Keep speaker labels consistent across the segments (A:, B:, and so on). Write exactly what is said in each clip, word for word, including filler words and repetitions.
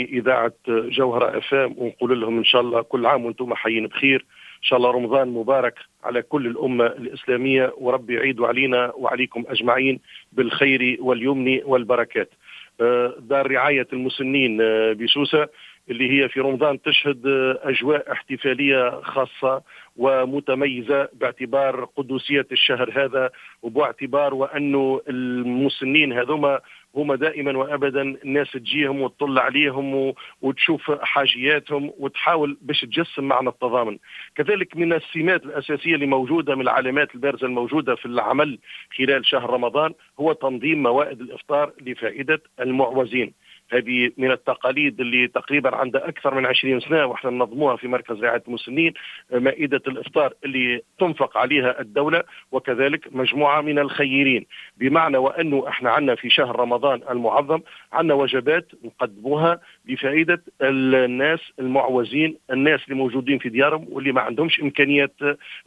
A: إذاعة جوهرة اف ام ونقول لهم إن شاء الله كل عام وأنتم حيين بخير، إن شاء الله رمضان مبارك على كل الأمة الإسلامية، وربي يعيد علينا وعليكم أجمعين بالخير واليمن والبركات. دار رعاية المسنين بسوسة اللي هي في رمضان تشهد أجواء احتفالية خاصة ومتميزة باعتبار قدسية الشهر هذا، وباعتبار وأنه المسنين هذوما هما دائما وأبدا الناس تجيهم وتطل عليهم وتشوف حاجياتهم وتحاول باش تجسم معنى التضامن. كذلك من السمات الأساسية اللي موجودة من العلامات البارزة الموجودة في العمل خلال شهر رمضان هو تنظيم موائد الإفطار لفائدة المعوزين. هذه من التقاليد اللي تقريبا عندها أكثر من عشرين سنة وإحنا ننظموها في مركز رعاية المسنين، مائدة الإفطار اللي تنفق عليها الدولة وكذلك مجموعة من الخيرين، بمعنى وأنه إحنا عندنا في شهر رمضان المعظم عندنا وجبات نقدموها لفائدة الناس المعوزين، الناس اللي موجودين في ديارهم واللي ما عندهمش إمكانيات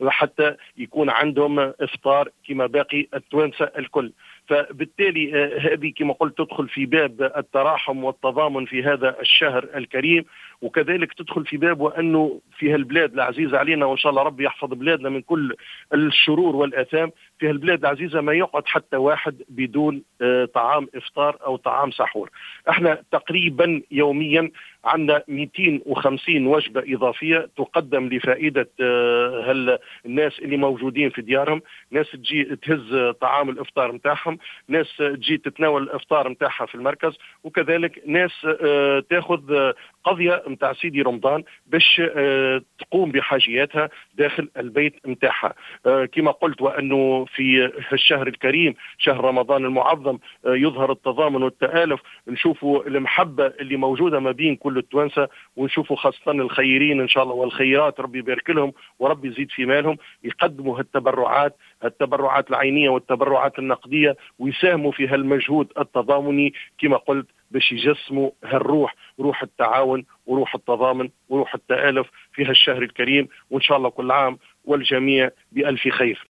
A: حتى يكون عندهم إفطار كما باقي التوانسة الكل. فبالتالي هذه كما قلت تدخل في باب التراحم والتضامن في هذا الشهر الكريم، وكذلك تدخل في باب وأنه في هالبلاد العزيزة علينا، وإن شاء الله ربي يحفظ بلادنا من كل الشرور والآثام، في هالبلاد العزيزة ما يقعد حتى واحد بدون طعام إفطار أو طعام سحور. احنا تقريبا يوميا عندنا مئتين وخمسين وجبة إضافية تقدم لفائدة الناس اللي موجودين في ديارهم، ناس تجي تهز طعام الإفطار متاعهم، ناس تجي تتناول الإفطار متاعها في المركز، وكذلك ناس تاخذ قضية متاع سيدي رمضان باش تقوم بحاجياتها داخل البيت متاعها. كما قلت وأنه في الشهر الكريم شهر رمضان المعظم يظهر التضامن والتآلف، نشوفوا المحبة اللي موجودة ما بين كل التوانسة، ونشوفوا خاصة الخيرين إن شاء الله والخيرات ربي يبارك لهم وربي يزيد في مالهم، يقدموا هالتبرعات، التبرعات العينية والتبرعات النقدية، ويساهموا في هالمجهود التضامني كما قلت باش يجسموا هالروح، روح التعاون وروح التضامن وروح التآلف في هالشهر الكريم. وإن شاء الله كل عام والجميع بألف خير.